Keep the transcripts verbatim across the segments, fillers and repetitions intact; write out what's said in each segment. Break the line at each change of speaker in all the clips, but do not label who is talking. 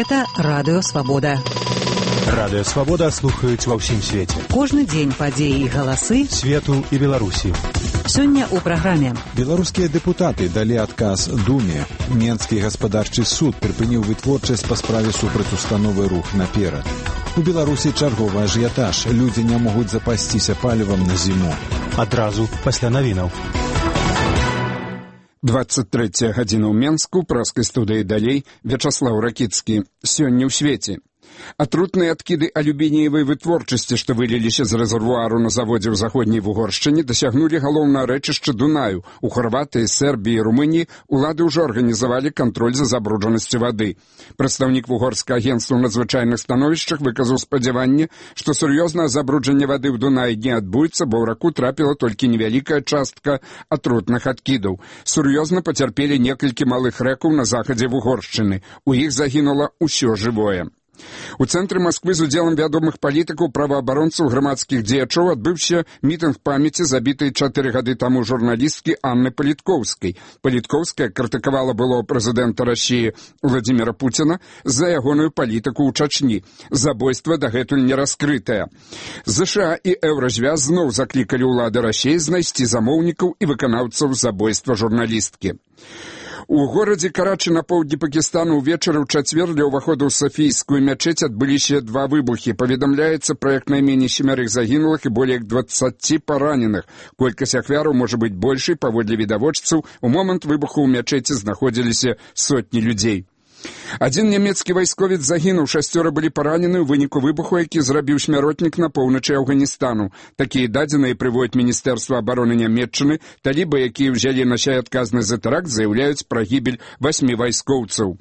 Гэта Радыё Свабода.
Радыё Свабода слухаюць ва ўсім свеце.
Кожны дзень падзеі і галасы
свету і Беларусі.
Сёння ў праграме.
Беларускія дэпутаты далі адказ Думе. Менскі гаспадарчы суд прыпыніў вытворчасць па справе супраць установы «Рух наперад». У Беларусі чарговы ажыятаж. Людзі не могуць запасціся палівам на зіму.
Адразу пасля навінаў.
двадцать третья гадзіна ў Менску, праскай студыі далей, Вячаслаў Ракіцкі. Сёння ў свеце. Атрутныя адкіды алюмініевай вытворчасці, што выліліся з рэзервуару на заводзе ў заходняй Вугоршчыне, дасягнулі галоўнае рэчышча Дунаю. У Харватыі, Сербіі і Румыніі улады ўжо арганізавалі кантроль за забруджанасцю вады. Прадстаўнік вугорскага агенцтва ў надзвычайных становішчах выказаў спадзяванне, што сур'ёзнае забруджанне вады ў Дунаі не адбудзецца, бо ў раку трапіла толькі невялікая частка атрутных адкідаў. Сур'ёзна пацярпелі некалькі малых рэкаў на захадзе Вугоршчыны. У іх загінула ўсё жывое. У цэнтры Масквы з удзелам вядомых палітыкаў, праваабаронцаў, грамадскіх дзеячоў адбыўся мітынг памяці забітай чатыры гады таму журналісткі Анны Паліткоўскай. Паліткоўская крытыкавала былого прэзідэнта Расіі Владзіміра Пуціна за ягоную палітыку ў Чачні. Забойства дагэтуль не раскрытае. ЗША і Еўразвяз зноў заклікалі ўлады Расіі знайсці замоўнікаў і выканаўцаў забойства журналісткі. У горадзе Карачы на поўдні Пакістану ўвечары ў чацвер ля ўваходу ў Сафійскую мячэць адбыліся два выбухі. Паведамляецца пра як найменей семярых загінулых і болей як дваццаці параненых. Колькасць ахвяраў можа быць большай, паводле відавочцаў. У момант выбуху ў мячэці знаходзіліся сотні людзей. Адзін нямецкі вайсковец загінуў, шасцёра былі паранены ў выніку выбуху, які зрабіў смяротнік на поўначы Афганістану. Такія дадзеныя прыводзіць Міністэрства абароны Нямецчыны. Талібы, якія ўзялі на сябе адказнасць за тэракт, заяўляюць пра гібель васьмі вайскоўцаў.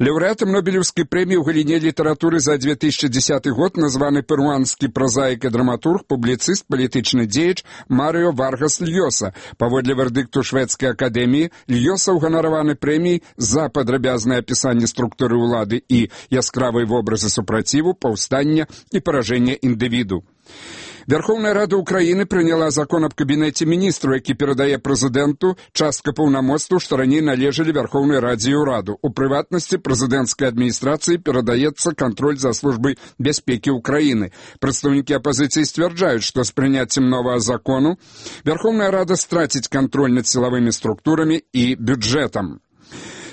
Лаўрэатам Нобелеўскай прэміі ў галіне літаратуры за две тысячи дзесяты год названы перуанскі празаік і драматург, публіцыст, палітычны дзеяч Марыо Варгас Льёса. Паводле вердыкту шведскай акадэміі, Льёса ўганараваны прэміяй за падрабязнае апісанне структуры ўлады і яскравыя вобразы супраціву, паўстання і паражэння індывіду. Верховная Рада Украины приняла закон об кабинете министров, які перадае прэзідэнту частка паўнамоцтваў, што раней належалі Верховной Раде і ўраду. У прыватнасці прэзідэнцкай адміністрацыі перадаецца кантроль за службай бяспекі Украины. Прадстаўнікі апозіцыі сцвярджаюць, што з прыняццем новага закону Верховная Рада страціць кантроль над сілавымі структурамі і бюджэтам.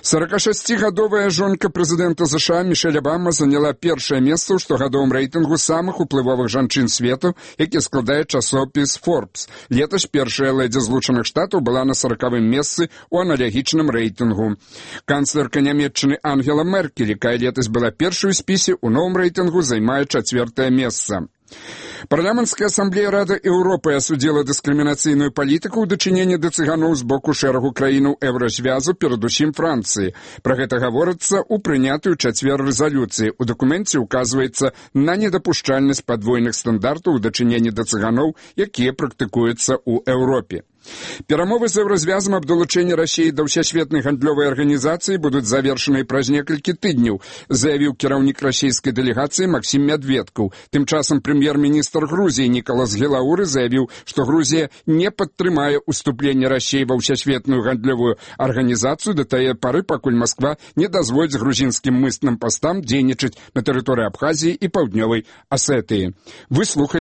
сорокашасцігадовая жонка прэзідэнта ЗША Мішэль Абама заняла першае месца ў штогадовым рэйтынгу самых уплывовых жанчын свету, які складае часопіс Forbes. Летась першая лэдзі Злучаных Штатаў была на саракавым месцы ў аналагічным рэйтынгу. Канцлерка Нямецчыны Ангела Меркель, якая летась была першай у спісе, у новым рэйтынгу займае чацвёртае месца. Парламенцкая асамблея Рады Еўропы асудзіла дыскрымінацыйную палітыку ў дачыненні да цыганоў з боку шэрагу краінаў Еўразвязу, перадусім Францыі. Пра гэта гаворыцца ў прынятую чацвер рэзалюцыі. У дакуменце ўказваецца на недапушчальнасць падвойных стандартаў у дачыненні да цыганоў, якія практыкуюцца ў Еўропе. Перамовы з Еўразвязам аб далучэнні Расіі да ўсесветнай гандлёвай арганізацыі будуць завершаныя праз некалькі тыдняў, заявіў кіраўнік расійскай дэлегацыі Максім Мядведкаў. Тым часам прэм'ер-міністр Грузіі Нікалас Гелауры заявіў, што Грузія не падтрымае уступленне Расіі ва ўсесветную гандлёвую арганізацыю да тае пары, пакуль Масква не дазволіць грузінскім мытным пастам дзейнічаць на тэрыторыі Абхазіі і Паўднёвай Асетыі. Вы слухаеце